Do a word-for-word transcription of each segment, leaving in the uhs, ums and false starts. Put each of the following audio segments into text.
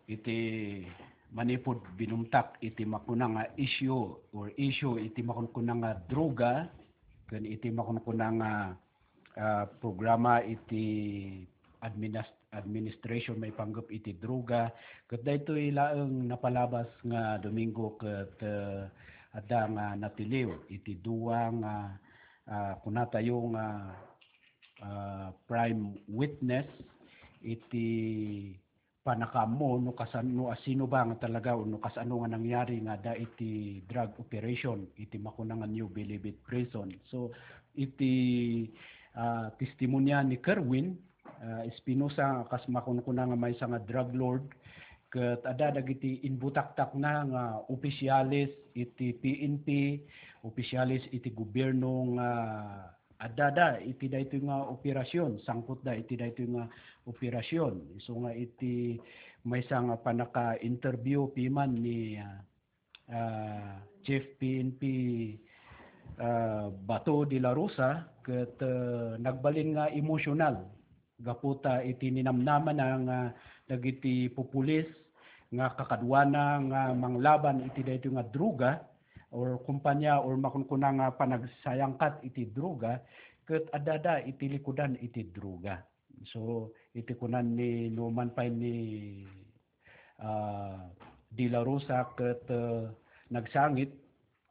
iti manipud binumtak iti makuna nga issue or issue iti makunkuna nga droga ken iti makunkuna nga, ah, programa iti adminis-, administration maipanggep iti droga. Ket daytoy laeng napalabas nga Domingo ket, ah, adda nga natiliw iti dua nga, ah, kunatayo nga, ah, prime witness iti panakaammo no kasan-, no asino ba nga talaga o no kasano nga nangyari nga adda iti drug operation iti makuna nga New Bilibid Prison. So, iti, ah, testimonya ni Kerwin, ah, Espinosa, kas makunkuna nga maysa nga drug lord, ket adda dagiti inbutaktakna nga opisyales iti P N P, opisyales iti gobierno nga addada iti daytoy nga operasyon, sangputda iti daytoy nga operasyon. Isu nga iti maysa nga pannaka-interview piman ni, ah, ah, Chief P N P, ah, Bato de la Rosa, ket, ah, nagbalin nga emosyonal gapu ta iti ninamnamana nga dagiti pupulis nga kakaduana nga manglaban iti daytoy nga droga or kumpanya or makunkuna nga panagsayangkat iti droga ket addada iti likudan iti droga. So, iti kunan ni numan pay ni, ah, De La Rosa ket, ah, nagsangit,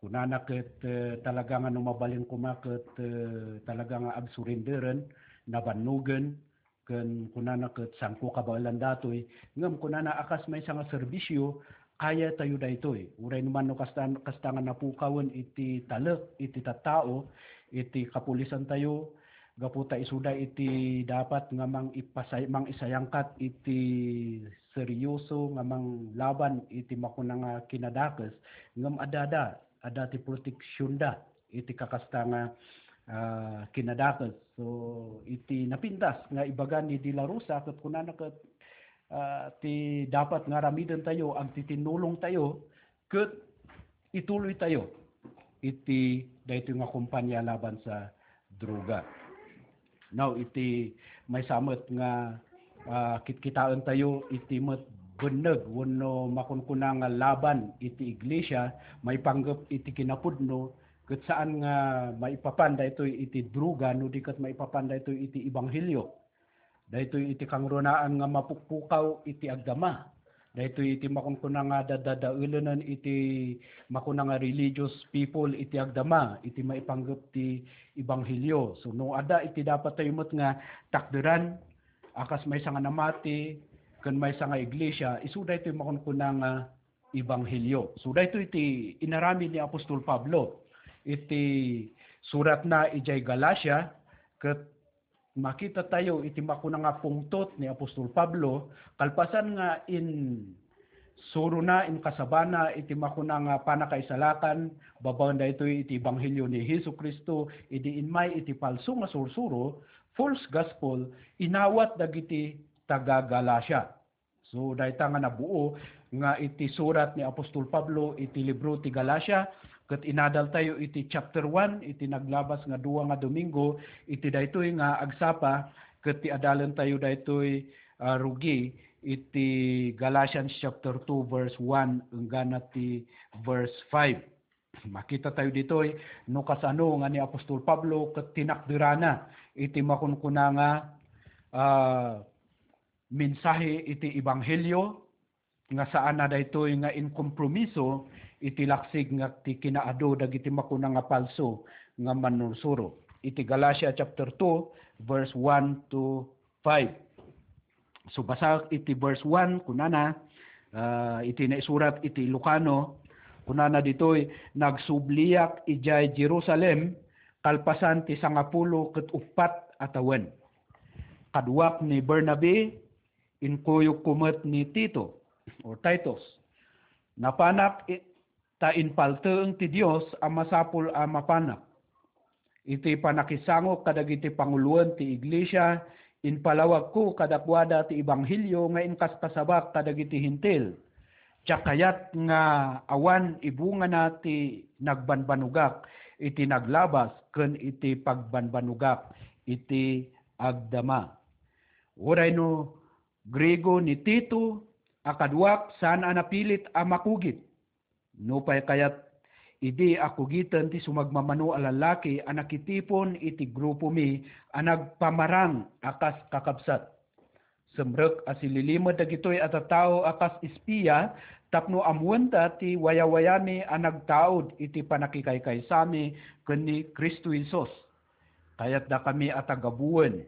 kunana ket, ah, talaga nga no mabalin koma ket, ah, talaga nga agsurrenderen, nabannogen, ken kunana ket saanko kabaelan datoy, ngem kunana a kas maysa nga serbisio, kayatayo daytoy. Uray no man no kasta, kasta nga napukawen iti talek, iti tattao, iti kapulisantayo, gapu ta isuda iti dapat nga mangipasay-, mangisayangkat iti seryoso nga manglaban iti makuna nga kinadakes, ngem addada, adda ti proteksionda iti kakasta nga, ah, kinadakes. So, iti napintas nga ibaga ni De La Rosa, ket kunana ket, ah, ti dapat nga aramidentayo, agtitinnulongtayo, ket ituloytayo iti daytoy nga kompania laban sa droga. Now, iti maysa met nga, ah, kitkitaentayo iti met benneg wenno makunkuna nga laban iti iglesia maipanggep iti kinapudno, ket saan nga maipapan daytoy iti droga no di ket maipapan daytoy iti ebanghelio. Daytoy iti kangrunaan nga mapukpukaw iti agdama. Daytoy iti makunkuna nga dadadaelenen iti makuna nga religious people iti agdama, iti maipanggep ti ebanghelio. So, no adda iti dapat tayo met nga takderan, a kas maysa nga namati, ken maysa nga iglesia, isu daytoy makunkuna nga ebanghelio. So, daytoy iti inaramid ni Apostol Pablo iti suratna idiay Galacia, ket makitatayo iti makuna nga pungtot ni Apostol Pablo, kalpasan nga insurona, inkasabana iti makuna nga pannakaisalakan babaen daytoy iti ebanghelio ni Jesu-Cristo, idi immay iti palso nga sursuro, false gospel, inawat dagiti taga-Galacia. So, dayta nga nabuo nga iti surat ni Apostol Pablo iti libro ti Galacia, ket inadaltayo iti chapter one, iti naglabas nga dua nga Domingo, iti daytoy nga agsapa, ket ti adalentayo daytoy, ah, rugi, iti Galatians chapter two, verse one, enggana ti verse five. Makitatayo ditoy no kasano nga ni Apostol Pablo ket tinakderana iti makunkuna nga, ah, mensahe iti ebanghelio nga saanna daytoy nga inkompromiso iti laksig nga ti kinaadu dagiti makuna nga palso nga mannursuro. Iti Galacia chapter two, verse one to five. So, basaek iti verse one, kunana, ah, iti naisurat iti Ilocano, kunana ditoy, "Nagsubliak idiay Jerusalem kalpasan ti sangapulo ket uppat a tawen. Kaduak ni Bernabe, inkuyogko met ni Tito," or Titus. Napanak i-, ta impalteeng ti Dios a masapul a mapanak. Iti pannakisangok kadagiti panguloen ti iglesia, impalawagko kadakuada ti ebanghelio nga inkaskasabak kadagiti Hentil. Diak kayat nga awan ibungana ti nagbanbanogak iti naglabas ken iti pagbanbanogak iti agdama. Uray no Griego ni Tito, a kaduak saan a napilit a makugit. Nupay kayat, idi a kugiten ti sumagmamano a lallaki a nakitipon iti grupomi a nagpamarang a kas kakabsat. Simrek a sililimed dagitoy a tattao a kas espia tapno ammoenda ti wayawayami a nagtaud iti pannakikaysami ken ni Cristo Jesus. Kayatdakami a tagabuen,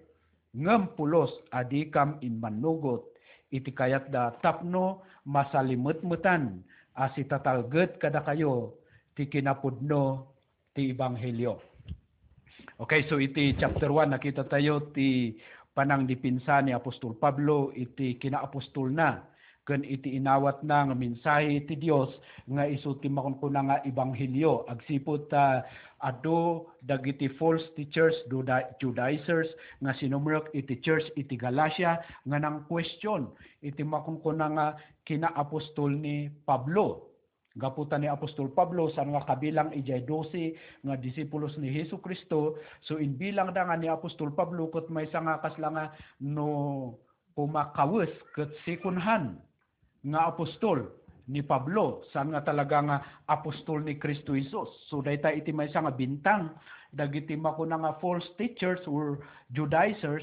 ngem pulos a dikam immannugot iti kayatda tapno masalimetmetan a sitatalged kadakayo ti kinapudno ti ebanghelio. Okay, so iti chapter one, nakita tayo ti panangdipinsa ni Apostol Pablo iti kinaapostolna ken iti inawatna nga mensahe ti Dios nga isu ti makunkuna nga ebanghelio. Agsipud ta adu dagiti false teachers, Juda-, Judaizers, nga sinumrek iti church iti Galacia nga nang-question iti makunkuna nga kinaapostol ni Pablo. Gapu ta ni Apostol Pablo saan nga kabilang idiay dose nga disipulos ni Jesu-Cristo, so imbilangda nga ni Apostol Pablo ket maysa nga kasla nga no kumakawes ket second hand nga apostol ni Pablo, saan nga talaga nga apostol ni Cristo Jesus. So dayta iti maysa nga bintang dagiti makuna nga false teachers or Judaizers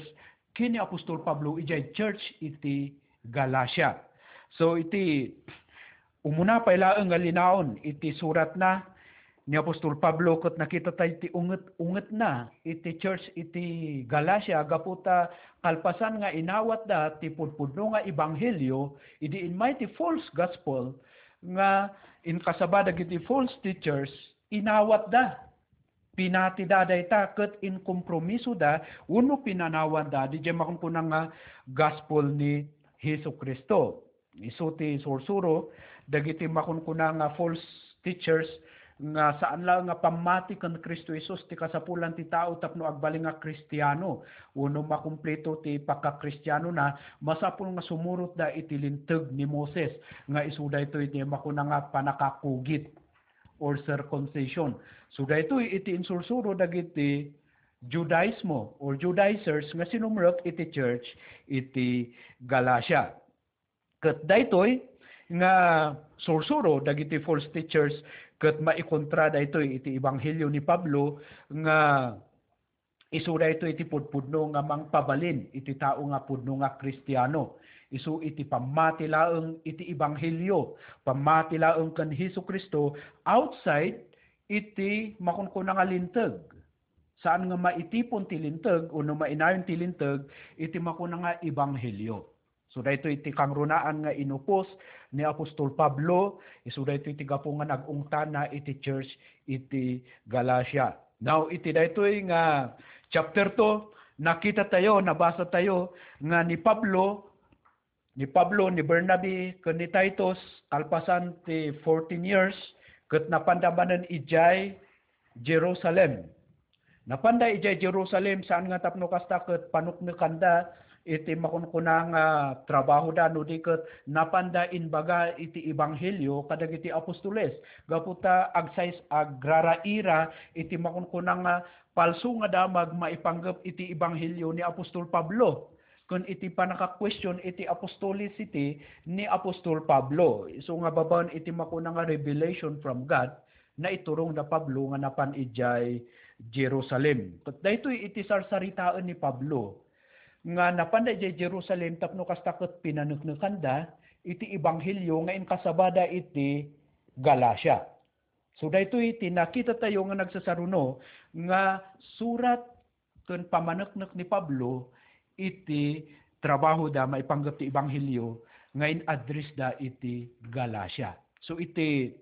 ken ni Apostol Pablo idiay church iti Galacia. So iti umuna pay laeng nga linaon iti suratna ni Apostol Pablo ket nakita tayo ti unget-ungetna iti church iti Galacia gapu ta kalpasan nga inawatda ti pudpudno nga ebanghelio idi immay ti false gospel nga inkasaba dagiti false teachers, inawatda. Pinatida dayta ket inkompromisoda wenno pinanawanda didiay makunkuna nga gospel ni Jesu-Cristo. Isu ti sursuro dagiti makunkuna nga false teachers nga saan laeng nga pammati ken Cristo Jesus ti kasapulan ti tao tapno agbalin nga Kristiano wenno makumpleto ti pagkakristianona, masapul nga sumurotda iti Linteg ni Moses nga isu daytoy ti makuna nga pannakakugit or circumcision. So daytoy iti insursuro dagiti Judaismo or Judaizers nga sinumrek iti church iti Galacia. Ket daytoy nga sursuro dagiti false teachers ket maikontra daytoy iti ebanghelio ni Pablo nga isu daytoy iti pudpudno nga mangpabalin iti tao nga pudno nga Kristiano. Isu iti pammati laeng iti ebanghelio, pammati laeng ken Jesu-Cristo outside iti makunkuna nga Linteg. Saan nga maitipon ti Linteg wenno mainayon ti Linteg iti makuna nga ebanghelio. So daytoy ti kangrunaan nga inupos ni Apostol Pablo, isu daytoy ti gapu nga nag-ungtana iti church iti Galacia. Now, iti daytoy nga chapter two, nakita tayo, nabasa tayo nga ni Pablo, ni Pablo, ni Bernabe, ken ni Titus, kalpasan ti fourteen years, ket napanda manen idiay Jerusalem. Napanda idiay Jerusalem, saan nga tapno kasta ket panuknekanda iti makunkuna nga trabahoda, no di ket napanda imbaga iti ebanghelio kadagiti apostoles. Gapu ta agsais-, agraraira iti makunkuna nga palso nga damag maipanggep iti ebanghelio ni Apostol Pablo ken iti pannaka-question iti apostolicity ni Apostol Pablo. Isu nga babaen iti makuna nga revelation from God, naiturong da Pablo nga napan idiay Jerusalem. Ket daytoy iti sarsaritaen ni Pablo nga napanda idiay Jerusalem tapno kasta ket pinaneknekanda iti ebanghelio nga inkasabada iti Galacia. So daytoy ti nakita tayo nga nagsasaruno nga surat ken pamaneknek ni Pablo iti trabahoda maipanggep ti ebanghelio nga in-address da iti Galacia. So iti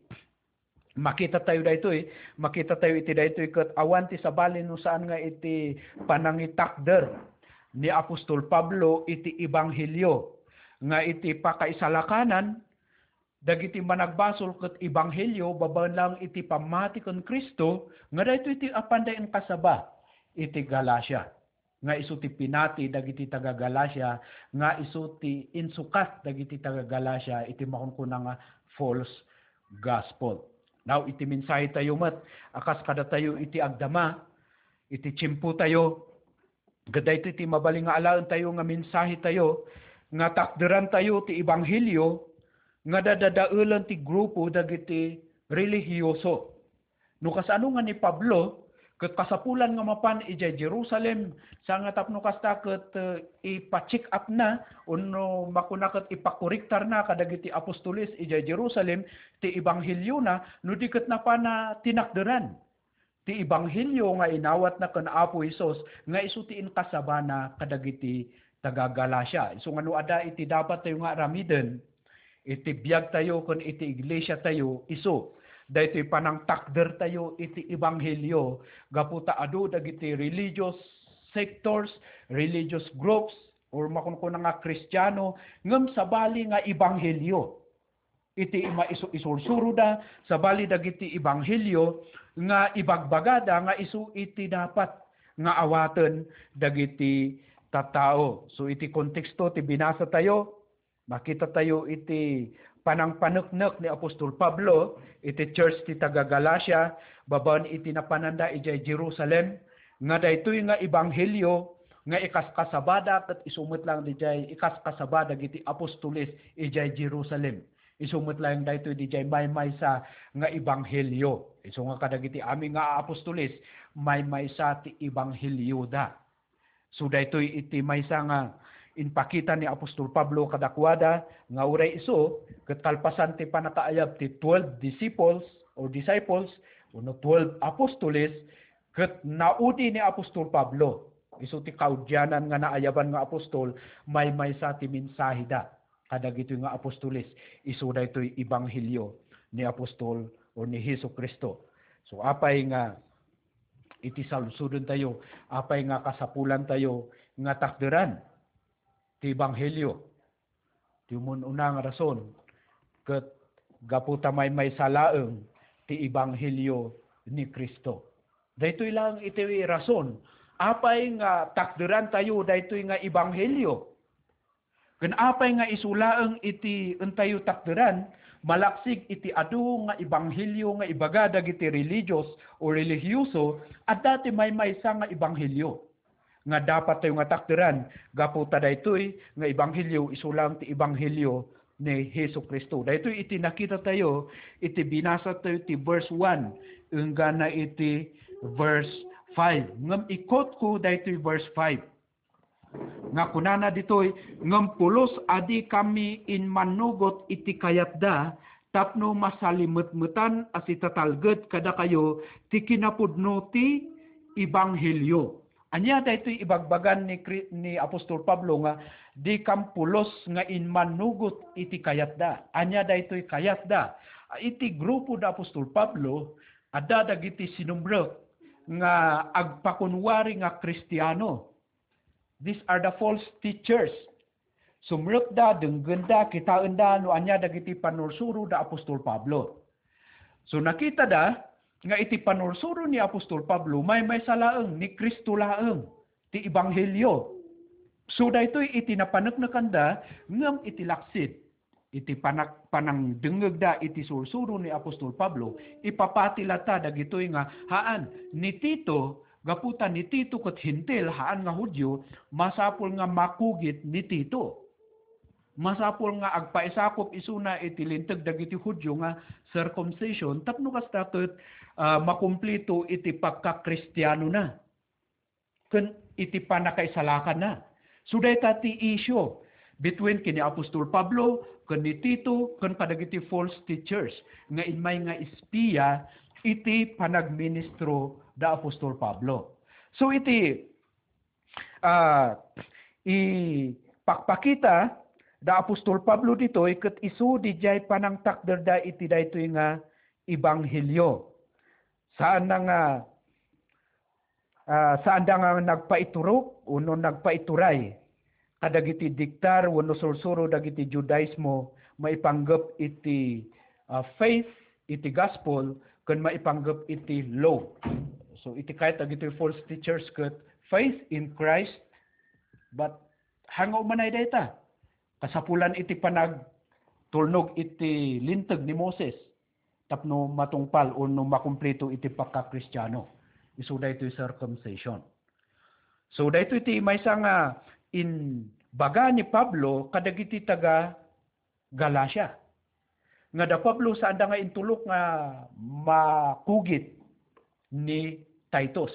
makita tayo daytoy, makita tayo iti daytoy ket awan ti sabali no saan nga iti panangitakder ni Apostol Pablo iti ebanghelio nga iti pakaisalakanan dagiti managbasol ket ebanghelio babaen laeng iti pammati ken Cristo nga daytoy ti apanda inkasaba iti Galacia. Nga isu ti pinati dagiti taga-Galacia, nga isu ti insukat dagiti taga-Galacia iti makunkuna nga false gospel. Now, iti mensahe tayo met, a kas kadatayo iti agdama, iti tiempo tayo, ket daytoy ti mabalin nga alaen tayo nga mensahe tayo, nga takderantayo ti ebanghelio nga dadadaelen ti grupo dagiti relihiyoso. No kasano nga ni Pablo, ket kasapulan nga mapan idiay Jerusalem, sa nga tapno kasta ket, eh, ipa-check up na, wenno makuna ket ipakoriktar na kadagiti apostoles idiay Jerusalem ti ebangheliona, no di ket napana tinakderan ti ebanghelio nga inawatna ken Apo Jesus nga isu ti inkasabana kadagiti taga-Galacia. Isu nga no adda iti dapat tayo nga aramiden, iti biag tayo ken iti iglesia tayo, isu daytoy panangtakder tayo iti ebanghelio gapu ta adu dagiti religious sectors, religious groups, or makunkuna nga Kristiano, ngem sabali nga ebanghelio. Iti ima-, isu-, isursuroda, sabali dagiti ebanghelio nga ibagbagada nga isu iti dapat nga awaten dagiti tattao. So, iti konteksto ti binasa tayo, makita tayo iti panangpaneknek ni Apostol Pablo iti church ti taga-Galacia, babaen iti napananda idiay Jerusalem, nga daytoy nga ebanghelio nga ikaskasabada ket isu met lang didiay ikaskasaba dagiti apostoles idiay Jerusalem. Isu met laeng daytoy didiay maymaysa nga ebanghelio. Isu nga kadagiti amin nga aapostoles, maymaysa ti ebanghelioda. So daytoy iti maysa nga impakita ni Apostol Pablo kadakuada nga uray isu ket kalpasan ti pannakaayab ti twelve disciples or disciples wenno twelve apostoles, ket naudi ni Apostol Pablo. Isu ti kaudianan nga naayaban nga apostol, maymaysa ti mensaheda kadagitoy nga apostoles. Isu daytoy ebanghelio ni Apostol or ni Jesu-Cristo. So, apay nga iti saludsodentayo, apay nga kasapulantayo nga takderan ti ebanghelio? Ti umun-una nga rason, ket gapu ta maymaysa laeng ti ebanghelio ni Cristo. Daytoy laeng iti rason, apay nga takderantayo daytoy nga ebanghelio? Ken apay nga isu laeng iti entayo takderan, malaksid iti adu nga ebanghelio nga ibaga dagiti religious o relihiyoso, adda ti maymaysa nga ebanghelio nga dapat tayo nga takderan, gapu ta daytoy nga ebanghelio isu laeng ti ebanghelio ni Jesu-Cristo. Daytoy iti nakita tayo iti binasa tayo ti verse one enggana iti verse five. Ngem i-quote ko daytoy verse five. Nga kunana ditoy, ngem pulos a dikami immannugot iti kayatda tapno masalimetmetan a sitatalged kadakayo ti kinapudno ti ebanghelio. Ania daytoy ibagbagan ni Cri-, ni Apostol Pablo nga dikam pulos nga immannugot iti kayatda? Ania daytoy kayatda? Iti grupo da Apostol Pablo, adda dagiti sinumrek nga agpakunwari nga Kristiano. These are the false teachers. Sumrekda, denggenda, kitaenda no ania dagiti pannursuro da Apostol Pablo. So, nakitada nga iti pannursuro ni Apostol Pablo, maymaysa laeng, ni Cristo laeng ti ebanghelio. So, daytoy iti napaneknekanda ngem iti laksid. Iti panak-, panangdengngegda iti sursuro ni Apostol Pablo, ipapati latta dagitoy nga, haan, ni Tito, gapu ta ni Tito ket Hentil, haan nga Judio, masapul nga makugit ni Tito. Masapul nga agpaisakup isuna iti linteg dagiti Judio nga circumcision, tapno kasta ket, ah, makumplito iti pagkakristianona ken iti pannakaisalakanna. So, dayta ti issue between ken ni Apostol Pablo, ken ni Tito, ken kadagiti false teachers nga immay nga espia iti panagministro da Apostol Pablo. So, iti, ah, ipakpakita da Apostol Pablo ditoy ket isu didiay panangtakderda iti daytoy nga ebanghelio. Saanna nga, ah, saanda nga nagpaiturok wenno nagpaituray kadagiti diktar wenno sursuro dagiti Judaismo maipanggep iti, ah, faith, iti gospel, ken maipanggep iti law. So, iti kayat dagiti false teachers ket faith in Christ, but haan nga umanay dayta? Kasapulan iti panagtulnog iti linteg ni Moses tapno matungpal wenno makumplito iti pagkakristiano. Isu daytoy circumcision. So, daytoy ti maysa nga in-, Baga ni Pablo kadagiti taga-Galacia nga da Pablo, saanda nga intulok nga makugit ni Titus.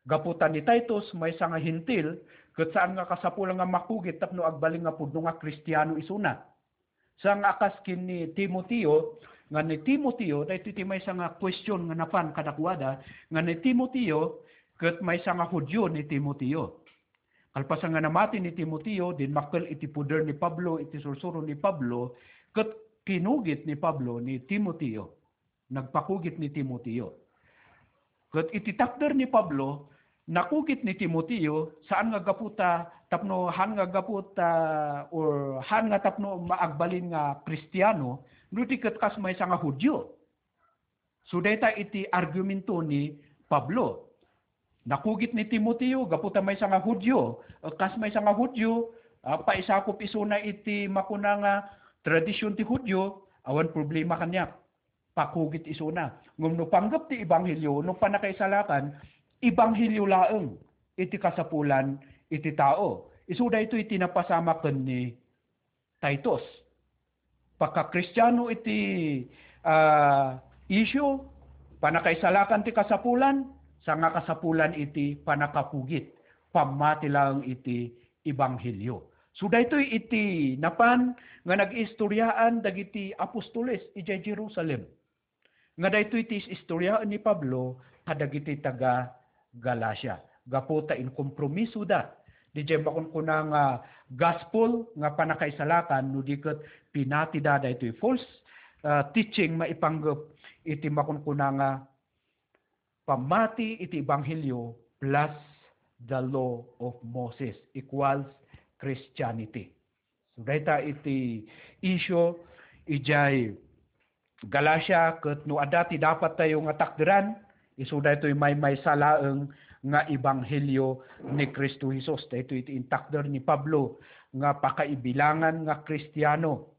Gapu ta ni Titus maysa nga Hentil, ket saan nga kasapulan nga makugit tapno agbalin nga pudno nga Kristiano isuna. Sa nga a kas ken ni Timoteo, nga ni Timoteo, daytoy ti maysa nga question nga napan kadakuada, nga ni Timoteo, ket maysa nga Judio ni Timoteo. Kalpasan nga namati ni Timoteo, dimmakkel iti poder ni Pablo, iti sursuro ni Pablo, ket kinugit ni Pablo ni Timoteo. Nagpakugit ni Timoteo. Ket iti takder ni Pablo, nakugit ni Timoteo, saan nga gapu ta, tapno, han nga gapu ta, or han nga tapno maagbalin nga Kristiano, no di ket kas maysa nga Judio. So, dayta iti argumento ni Pablo. Nakugit ni Timoteo, gapu ta maysa nga Judio, eh, kas maysa nga Judio, ah, paisakop isuna iti makuna nga tradisyon ti Judio, awan problema kaniak. Pakugit isuna. Ngem no panggep ti ebanghelio, no pannakaisalakan, ebanghelio laeng iti kasapulan iti tao. Isu daytoy ti napasamak ken ni Titus. Pagkakristiano iti, ah, issue, pannakaisalakan ti kasapulan, sa nga kasapulan iti pannakakugit, pammati laeng iti ebanghelio. So, daytoy iti napan nga nag-iistoriaan dagiti apostoles idiay Jerusalem. Nga daytoy ti is-istoriaen ni Pablo kadagiti taga-Galacia. Gapu ta inkompromisoda didiay makunkuna nga gospel nga pannakaisalakan, no di ket pinatida daytoy false, ah, teaching maipanggep iti makunkuna nga pammati iti ebanghelio plus the law of Moses equals Christianity. So, dayta iti issue idiay Galacia, ket no adda ti dapat tayo nga takderan, isu daytoy maymaysa laeng nga ebanghelio ni Cristo Jesus. Daytoy iti intakder ni Pablo nga pakaibilangan nga Kristiano.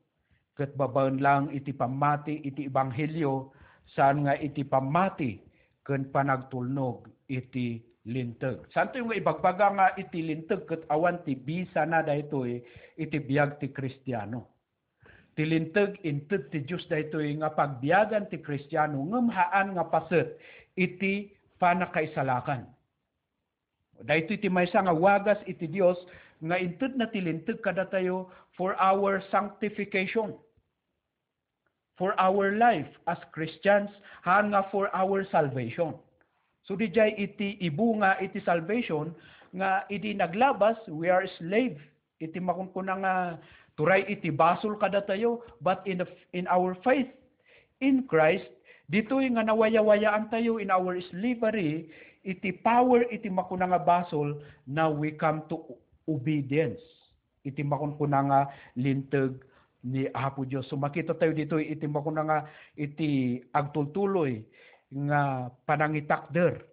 Ket babaen laeng iti pammati iti ebanghelio, saan nga iti pammati ken panagtulnog iti Linteg. Saantayo nga ibagbaga nga iti Linteg ket awan ti bisana daytoy iti biag ti Kristiano. Ti Linteg inted ti Dios daytoy nga pagbiagan ti Kristiano, ngem haan nga paset iti pannakaisalakan. Daytoy ti maysa nga wagas iti Dios nga intedna ti Linteg kadatayo for our sanctification, for our life as Christians, haan nga for our salvation. So, didiay iti ibunga iti salvation nga idi naglabas, we are slave iti makunkuna nga turay iti basol kadatayo, but in the, in our faith in Christ, ditoy nga nawayawayaantayo in our slavery iti power iti makuna nga basol, now we come to obedience iti makunkuna nga Linteg ni Apo Dios. So, makita tayo ditoy iti makuna nga iti agtultuloy nga panangitakder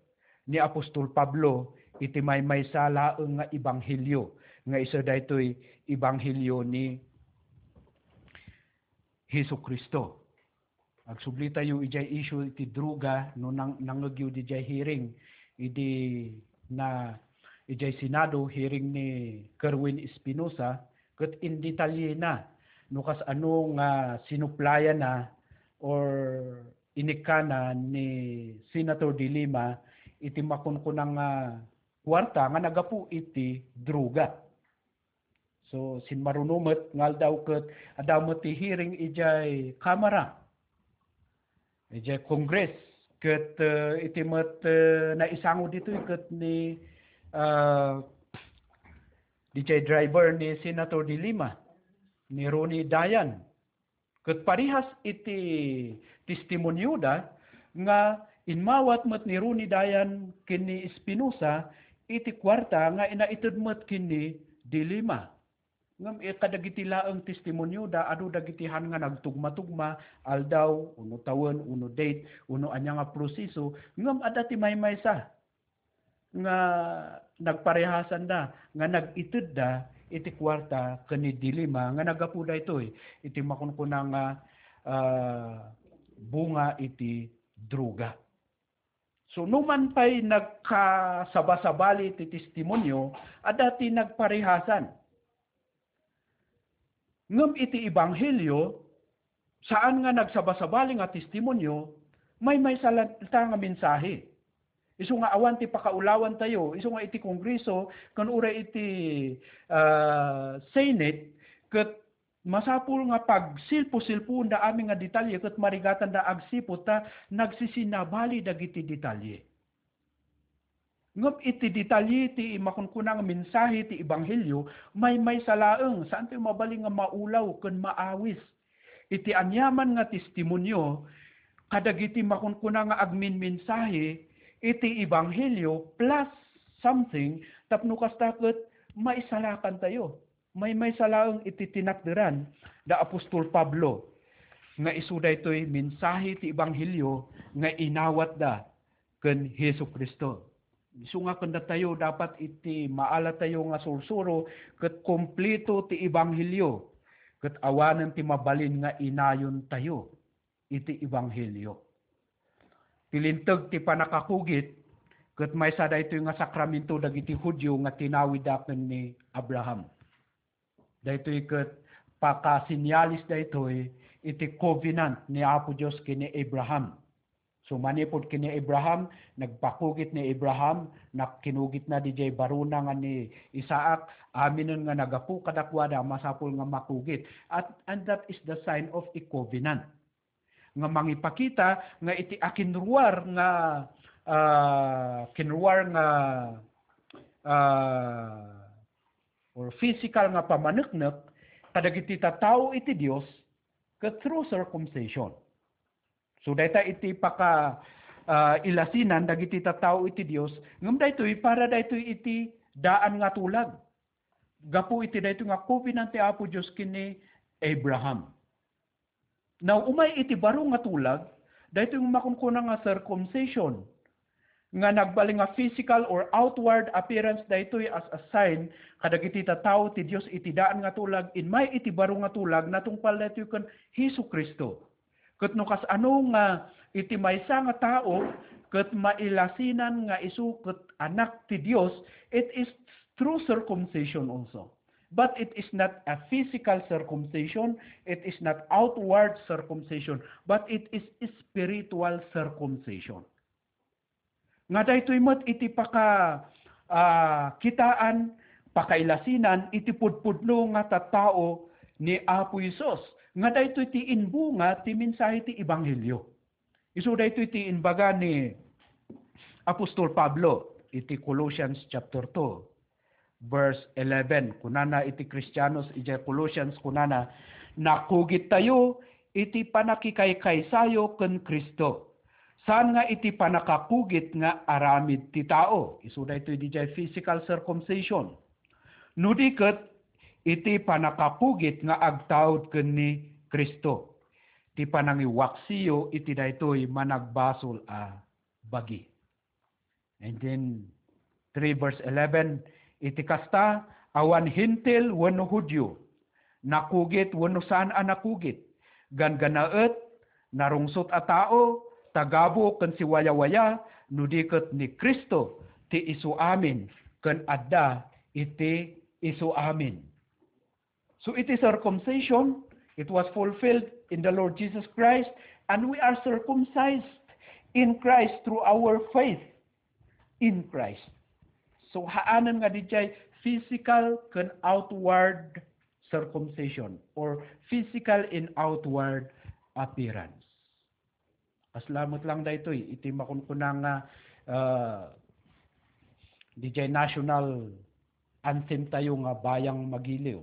ni Apostol Pablo iti maymaysa laeng nga ebanghelio, nga isu daytoy ebanghelio ni Jesu-Cristo. Agsubli tayo idiay issue iti droga no nang-, nangngegyo didiay hearing idi na, idiay Senado, hearing ni Kerwin Espinosa, ket indetalyena no kasano nga sinuplayana or inikkana ni Senator De Lima iti makunkuna nga kuarta nga naggapu iti droga. So, sinmaruno met nga aldaw ket adda met ti hearing idiay Kamara, idiay Congress, ket, eh, iti met, eh, naisango ditoy ket ni, ah, didiay driver ni Senator De Lima, ni Ronnie Dayan. Ket parehas iti testimonioda nga immawat met ni Ronnie Dayan ken ni Espinosa iti kuarta nga inaited met ken ni De Lima. Ngem, eh, kadagiti laeng testimonioda, adu dagiti han nga nagtugmatugma, aldaw, uno tawen, uno date, uno ania nga proseso, ngem adda ti maymaysa nga nagparehasanda, nga nag-itedda iti kuarta ken ni De Lima nga naggapu daytoy iti makunkuna nga, ah, bunga iti droga. So, numan pay nagkasabasabali ti testimonio, adda ti nagparehasan. Ngem iti ebanghelio, saan nga nagsabasabali nga testimonio, maymaysa latta nga mensahe. Isu nga awan ti pakaulawantayo, isu nga iti Kongreso, ken uray iti, ah, Senate, ket masapul nga pagsilpo-silpoenda amin nga detalye, ket marigatanda agsipud ta nagsisinabali dagiti detalye. Ngem iti detalye ti makunkuna nga mensahe ti ebanghelio, maymaysa laeng, saantayo mabalin nga maulaw ken maawis. Iti aniaman nga testimonio kadagiti makunkuna nga agminmensahe iti ebanghelio plus something tapno kasta ket maisalakantayo. Maymaysa laeng iti tinakderan da apostol Pablo nga isu daytoy mensahe ti ebanghelio nga inawatda ken Jesu-Cristo. Isu nga ken datayo dapat iti maalatayo nga sursuro ket kompleto ti ebanghelio ket awanen ti mabalin nga inayontayo iti ebanghelio. Ti linteg ti pannakakugit ket maysa daytoy nga sakramento dagiti Judio nga tinawidda ken ni Abraham. Daytoy ket pakasenyalis daytoy iti covenant ni Apo Dios ken ni Abraham. So, manipud ken ni Abraham, nagpakugit ni Abraham, nak-, kinugitna didiay barona nga ni Isaac, aminen nga nagapu kadakuada, masapul nga makugit. At, and that is the sign of a covenant. Nga mangipakita nga iti akinruar nga, ah, kinruar nga, ah, or physical nga pamaneknek kadagiti tattao iti Dios ket through circumcision. So, dayta iti paka, ah, ilasinan dagiti tattao iti Dios, ngem daytoy para daytoy iti daan nga tulag. Gapu iti daytoy nga covenant ti Apo Dios ken ni Abraham. Now, umay iti baro nga tulag, daytoy nga makunkuna nga circumcision, nga nagbalin nga physical or outward appearance daytoy as a sign kadagiti tattao ti Dios iti daan nga tulag, immay iti baro nga tulag, natungpal daytoy ken Jesu-Cristo. Ket no kasano nga iti maysa nga tao ket mailasinan nga isu ket anak ti Dios, it is through circumcision also. But it is not a physical circumcision, it is not outward circumcision, but it is spiritual circumcision. Nga daytoy met iti paka, ah, kitaan, pakailasinan iti pudpudno nga tattao ni Apo Jesus. Nga daytoy ti imbunga ti mensahe ti ebanghelio. Isu daytoy ti imbaga ni Apostol Pablo iti Colossians chapter two, verse eleven. Kunana iti Kristianos idiay Colossians, kunana, "Nakugittayo iti pannakikaykaysayo ken Cristo." Saan nga iti pannakakugit nga aramid ti tao. Isu daytoy didiay physical circumcision. No di ket, iti pannakakugit nga agtaud ken ni Cristo. Ti panangiwaksiyo iti daytoy managbasol a bagi. And then, three verse eleven, iti kasta, awan Hentil wenno Judio, nakugit wenno saan a nakugit, ganggannaet, narungsot a tao, tagabu ken siwayawaya, no di ket ni Cristo ti isuamin ken adda iti isuamin. So iti circumcision, it was fulfilled in the Lord Jesus Christ, and we are circumcised in Christ through our faith in Christ. So haanen nga didiay physical ken outward circumcision or physical and outward appearance. Kasla met lang daytoy iti makunkuna nga, ah, didiay national anthem tayo nga Bayang Magiliw.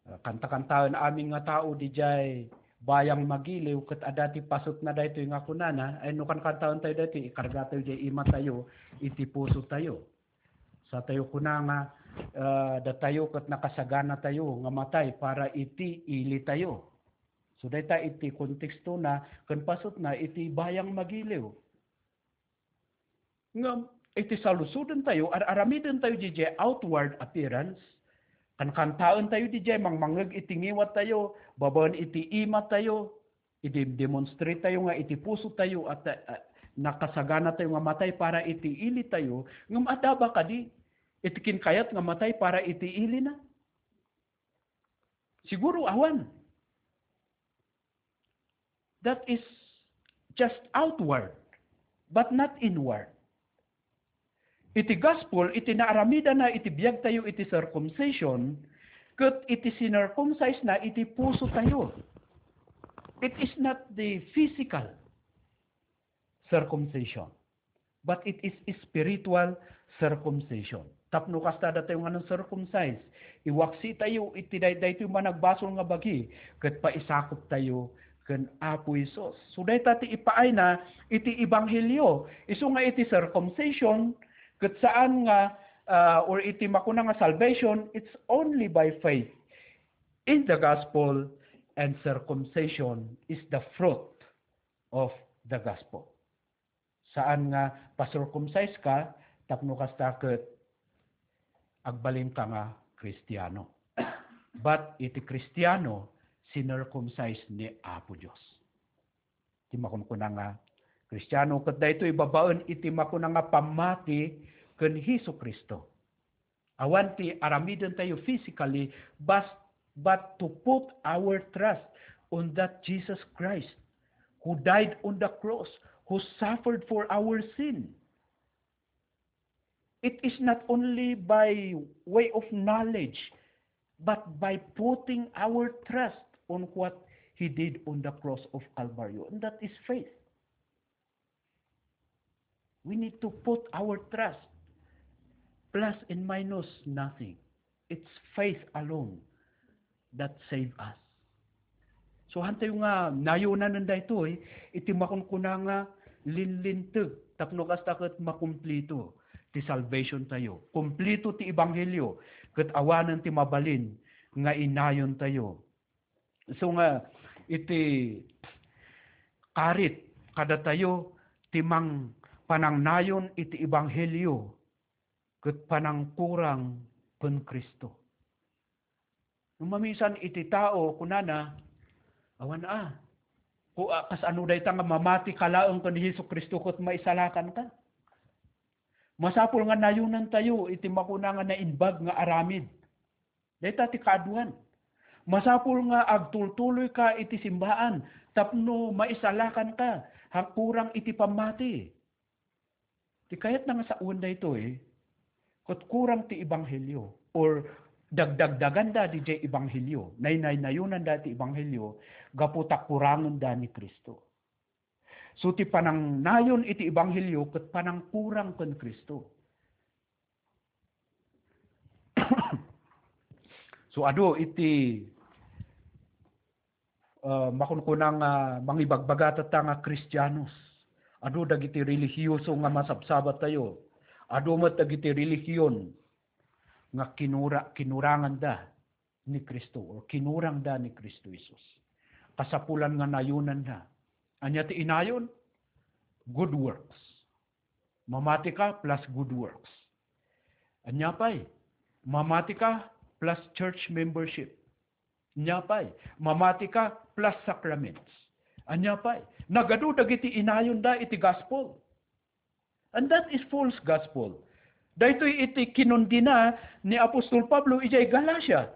Ah, kanta-kantaen amin nga tao didiay Bayang Magiliw ket adda ti pasutna daytoy nga kunana, ay no kankantaen tayo daytoy, ikarga tayo diay ima tayo, iti puso tayo. Sa tayo kuna nga, ah, datayo ket nakasagana tayo nga matay para iti ili tayo. So, dayta iti kontekstona ken pasutna iti Bayang Magiliw. Ngem, iti salusoden tayo, ar-aramiden tayo didiay outward appearance, kankantaen tayo didiay mangmangngeg iti ngiwat tayo, babaen iti ima tayo, idemdemonstrate tayo nga iti puso tayo at, ah, nakasagana tayo nga matay para iti ili tayo, ngem adda ba kadi iti kinkayat nga matay para iti ilina? Siguro awan. That is just outward, but not inward. Iti gospel, iti naaramidana iti biagtayo iti circumcision, ket iti sinircumcise na iti pusotayo. It is not the physical circumcision, but it is spiritual circumcision. Tapno kasta datayo nga nang-circumcise, iwaksitayo iti day-, daytoy managbasol nga bagi, ket paisakoptayo ken Apo Jesus. So, dayta ti ipaayna iti ebanghelio. Isu nga iti circumcision, ket saan nga, ah, or iti makuna nga salvation, it's only by faith in the gospel, and circumcision is the fruit of the gospel. Saan nga pa-circumcise ka tapno kasta ket agbalinka nga Kristiano. But iti Kristiano, sinircumcise ni Apo Dios. Ti makunkuna nga Kristiano, ket daytoy babaen iti makuna nga pammati ken Jesu-Cristo. Awan ti aramidentayo physically, but, but to put our trust on that Jesus Christ who died on the cross, who suffered for our sin. It is not only by way of knowledge, but by putting our trust on what he did on the cross of Calvario. And that is faith. We need to put our trust. Plus and minus, nothing. It's faith alone that save us. So, hantayo nga nayonanen daytoy, iti makunkuna nga linlinteg, tapno kasta ket makumplito ti salvation tayo. Kumplito ti ebanghelio, ket awanen ti mabalin nga inayon tayo. So nga, iti karit kadatayo ti mang-, panangnayon iti ebanghelio ket panangkurang ken Cristo. No mamisan iti tao, kunana, "Awan a, ku-, a, kas ano dayta nga mamati ka laeng ken ni Jesu-Cristo ket maisalakan ka?" Masapul nga nayonantayo iti makuna nga naimbag nga aramid. Dayta ti kaaduan. Masapul nga agtultuloy ka iti simbaan tapno maisalakan ka, ha kurang iti pammati. Ti kayatna nga sawen daytoy, ket kurang ti ebanghelio, or dagdagdaganda didiay ebanghelio, naynaynayonanda ti ebanghelio, gapu ta kurangenda ni Cristo. So, ti panangnayon iti ebanghelio ket panangkurang ken Cristo. So, adu iti, ah, makunkuna nga mangibagbaga tatta nga Kristianos. Adu dagiti relihiyoso nga masabsabatayo. Adu met dagiti relihiyon nga kinura-, kinuranganda ni Cristo, or kinurangda ni Cristo Jesus. Kasapulan nga nayonanda. Ania ti inayon? Good works. Mamati ka plus good works. Ania pay? Mamati ka plus church membership. Ania pay? Mamati ka plus sacraments. Ania pay? Nagadu dagiti inayonda iti gospel. And that is false gospel. Daytoy iti kinundina ni Apostol Pablo idiay Galacia.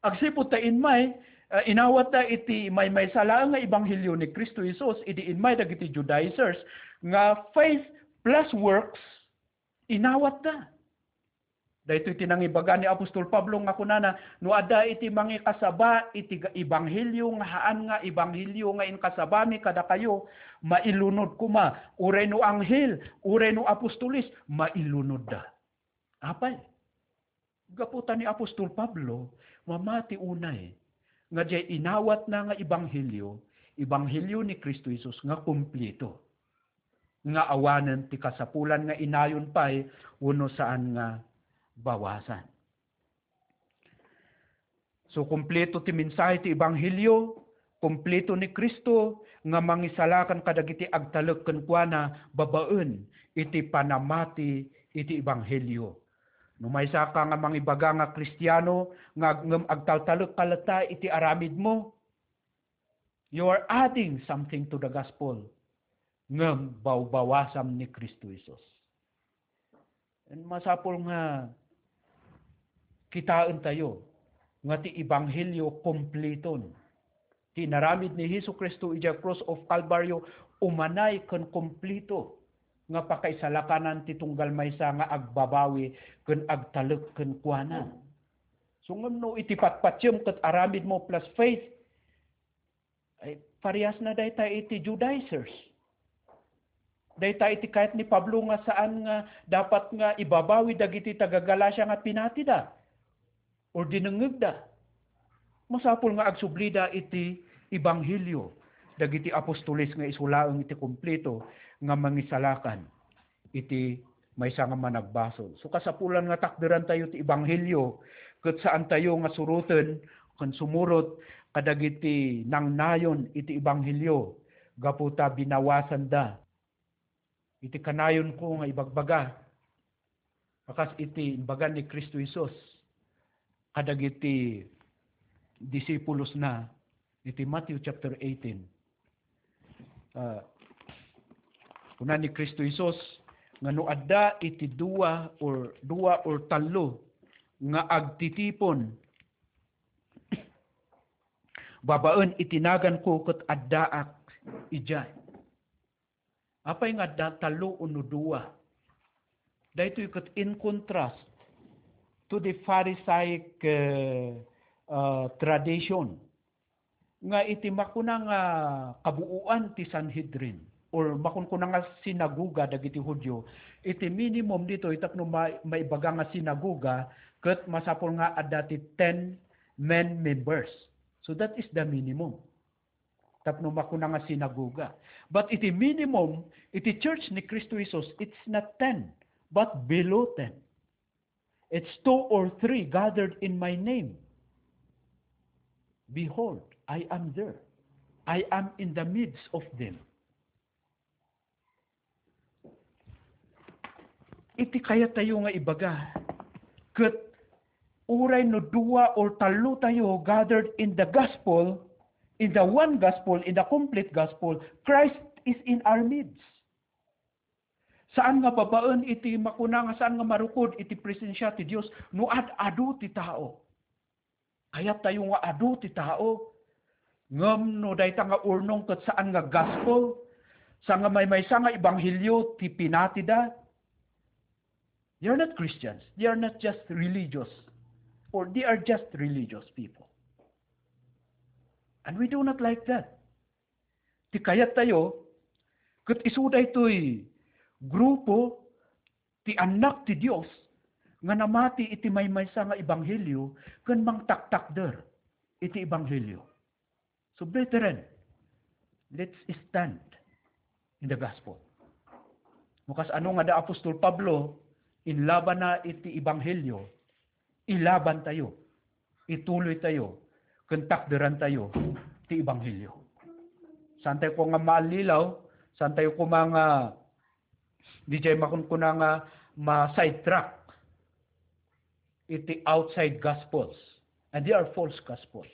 Agsipud ta immay, ah, inawatda iti maymaysa laeng nga ebanghelio ni Cristo Jesus, idi immay dagiti Judaizers nga faith plus works, inawatda. Daytoy ti nangibaga ni Apostol Pablo nga kunana, "No adda iti mangikasaba iti ga-, ebanghelio nga haan nga ebanghelio nga inkasabami kadakayo, mailunod koma, uray no anghel, uray no apostoles, mailunodda." Apay? Gapu ta ni Apostol Pablo, mamati unay nga diay inawatna nga ebanghelio, ebanghelio ni Cristo Jesus nga kumplito, nga awanen ti kasapulan nga inayon pay wenno saan nga bawasan. So, kumplito ti mensahe ti ebanghelio, kumplito ni Cristo nga mangisalakan kadagiti agtalek kenkuana babaen iti panamati iti ebanghelio. No maysaka nga mangibaga nga Kristiano nga ag-, ngem agtaltalek ka latta iti aramidmo, you are adding something to the gospel. Ngem bawbawasam ni Cristo Jesus. And masapul nga kitaentayo nga ti ebanghelio kumpliton. Ti inaramid ni Jesu-Cristo idiay Cross of Calvario umanay ken kumplito nga pakaisalakanan ti tunggal maysa nga agbabawi ken agtalek kenkuana. So, ngem no iti patpatiem ket aramidmo plus faith, ay, parehasna dayta iti Judaizers. Dayta iti kayat ni Pablo nga saan nga dapat nga ibabawi dagiti taga-Galacia nga pinatida or dinengngegda. Masapul nga agsublida iti ebanghelio dagiti apostoles nga isu laeng iti kumplito nga mangisalakan iti maysa nga managbasol. So, kasapulan nga takderantayo ti ebanghelio, ket saantayo nga suroten ken sumurot kadagiti nangnayon iti ebanghelio gapu ta binawasanda. Iti kanayonko nga ibagbaga, a kas iti imbaga ni Cristo Jesus kadagiti disipulosna iti Matthew chapter eighteen. Ah, kuna ni Cristo Jesus nga no adda iti dua or, dua or tallo nga agtitipon babaen iti naganko, ket addaak idiay. Apay nga adda tallo wenno dua? Daytoy ket in contrast to the Pharisaic, uh, uh, tradition nga iti makuna nga kabuoan ti Sanhedrin or makunkuna nga sinagoga dagiti Judio, iti minimum ditoy tapno ma-, maibaga nga sinagoga ket masapul nga adda ti ten men members. So that is the minimum. Tapno makuna nga sinagoga. But iti minimum, iti church ni Cristo Jesus, it's not ten, but below ten. It's two or three gathered in my name. Behold, I am there. I am in the midst of them. Iti kayat tayo nga ibaga, ket uray no dua or tallo tayo gathered in the gospel, in the one gospel, in the complete gospel, Christ is in our midst. Saan nga babaen iti makuna nga saan nga marukod iti presensia ti Dios no ad-adu ti tao. Kayat tayo nga adu ti tao. Ngem no dayta nga urnong ket saan nga gospel, saan nga maymaysa nga ebanghelio ti pinatida, they are not Christians. They are not just religious. Or they are just religious people. And we do not like that. Ti kayat tayo, ket isu daytoy grupo ti annak ti Dios nga namati iti maymaysa nga ebanghelio ken mangtaktakder iti ebanghelio. So, brethren, let's stand in the gospel. No kas-ano nga da apostol Pablo, inlabanna iti ebanghelio, ilaban tayo, ituloy tayo, ken takderan tayo ti ebanghelio. Saan tayo ko nga maallilaw, saan tayo ko nga, di jay makunkuna nga ma-sidetrack iti outside gospels. And they are false gospels.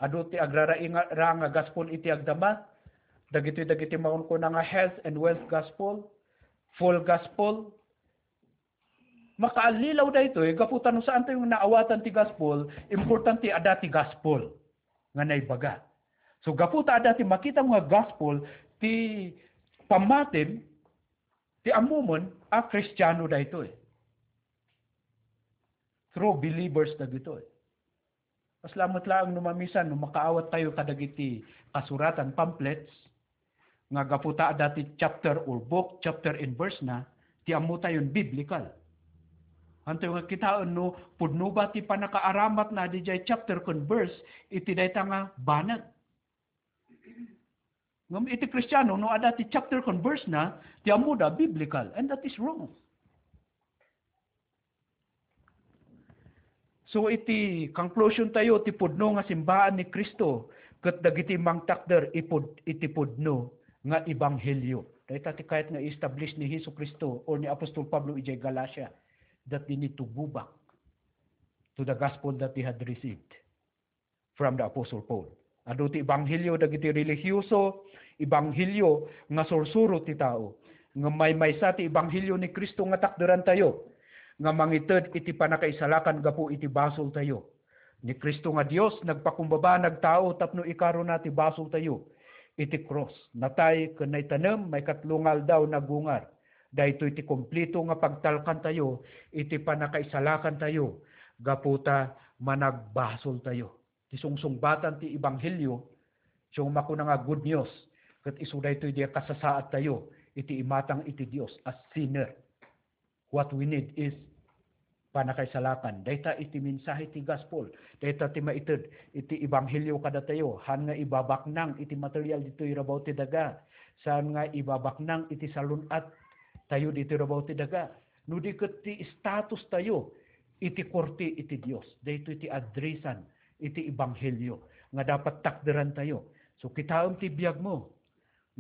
Adu ti agrarainga nga gospel iti agdama, dagitoy dagiti makunkuna nga health and wealth gospel, full gospel. Makaallilaw daytoy, gapu ta no saan tayo naawatan ti gospel, importante adda ti gospel nga naibaga. So, gapu ta adda ti makita nga gospel, ti pammatim, ti ammomon a Kristiano daytoy. True believers dagitoy. Kasla met laeng no mamisan no makaawat tayo kadagiti kasuratan, pamphlets, nga gapu ta adda ti chapter or book, chapter and verse na, ti ammo tayon biblical. Anto nga kitaen no pudno ba ti pannakaaramatna didiay chapter ken verse iti dayta nga banag? Ngem iti Kristiano, no adda ti chapter ken verse na, ti ammoda biblical, and that is wrong. So, iti conclusion tayo, ti pudno nga simbaan ni Cristo ket dagiti mangtakder ipud-, iti pudno nga ebanghelio. Dayta ti kayat nga i-establish ni Jesu Cristo or ni Apostol Pablo idiay Galacia, that they need to go back to the gospel that they had received from the Apostle Paul. Adu ti ebanghelio dagiti relihioso, ebanghelio nga sursuro ti tao. Ngem maymaysa ti ebanghelio ni Cristo nga takderantayo, nga mangited iti pannakaisalakan gapu iti basoltayo. Ni Cristo nga Dios, nagpakumbaba, nagtao tapno ikarona ti basoltayo iti krus. Natay ken naitanem, maikatlo nga aldaw nagungar. Daytoy ti kumplito nga pagtalkantayo iti pannakaisalakantayo gapu ta managbasoltayo. Ti sungsungbatan ti ebanghelio, siya makuna nga good news, ket isu daytoy di kasasaadtayo iti imatang iti Dios as sinner. What we need is pannakaisalakan. Dayta iti mensahe ti gospel. Dayta ti maited iti ebanghelio kadatayo. Haan nga ibabaknang iti material ditoy rabaw ti daga. Saan nga ibabaknang iti salun-attayo ditoy rabaw ti daga. No di ket ti statustayo iti korte iti Dios. Daytoy ti addressan iti ebanghelio nga dapat takderantayo. So, kitaem ti biagmo.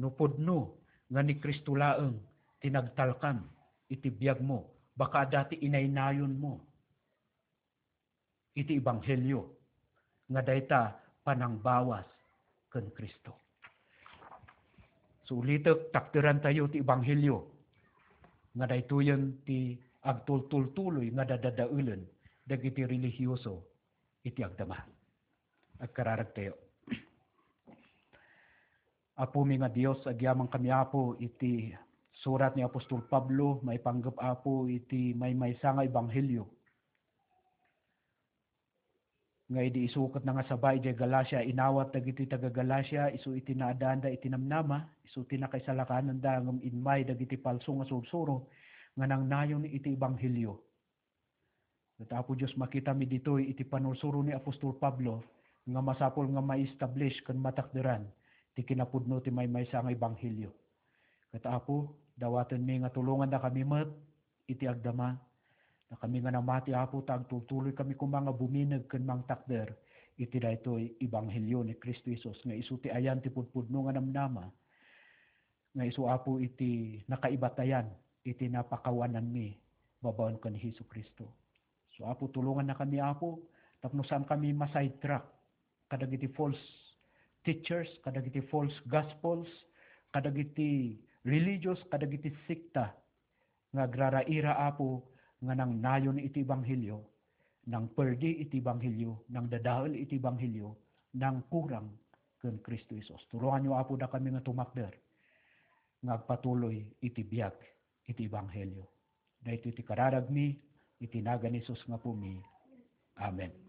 No pudno nga ni Cristo laeng ti nagtalkan iti biagmo, baka adda ti inaynayonmo iti ebanghelio nga dayta panangbawas ken Cristo. So, ulitek, takderantayo ti ebanghelio nga daytoyen ti agtultultuloy nga dadadaelen dagiti relihioso iti agdama. Agkararagtayo. Apomi nga Dios, agyamankami, Apo, iti surat ni apostol Pablo maipanggep, Apo, iti maymaysa nga ebanghelio nga idi isu ket nangasaba idiay Galacia, inawat dagiti taga-Galacia isu iti naaddaanda iti namnama, isu ti nakaisalakananda ngem immay dagiti palso nga sursuro nga nangnayon iti ebanghelio. Ket, Apo Dios, makitami ditoy iti panursuro ni apostol Pablo nga masapul nga ma-establish ken matakderan ti kinapudno ti maymaysa nga ebanghelio. Ket, Apo, dawatenmi nga tulongandakami met iti agdama. Dakami nga namati, Apo, ta agtultuloykami koma nga bumineg ken mangtakder iti daytoy ebanghelio ni Cristo Jesus nga isu ti ayan ti pudpudno nga namnama, nga isu, Apo, iti nakaibatayan iti napakawananmi babaen ken Jesu-Cristo. So, Apo, tulongannakami, Apo, tapno saankami ma-sidetrack kadagiti false teachers, kadagiti false gospels, kadagiti religious, kadagiti sekta nga agraraira, Apo, nga nangnayon iti ebanghelio, nangperdi iti ebanghelio, nangdadael iti ebanghelio, nangkurang ken Cristo Jesus. Tulonganyo, Apo, dakami nga tumakder nga agpatuloy iti biag iti ebanghelio. Daytoy ti kararagmi iti nagan ni Jesus nga Apomi. Amen.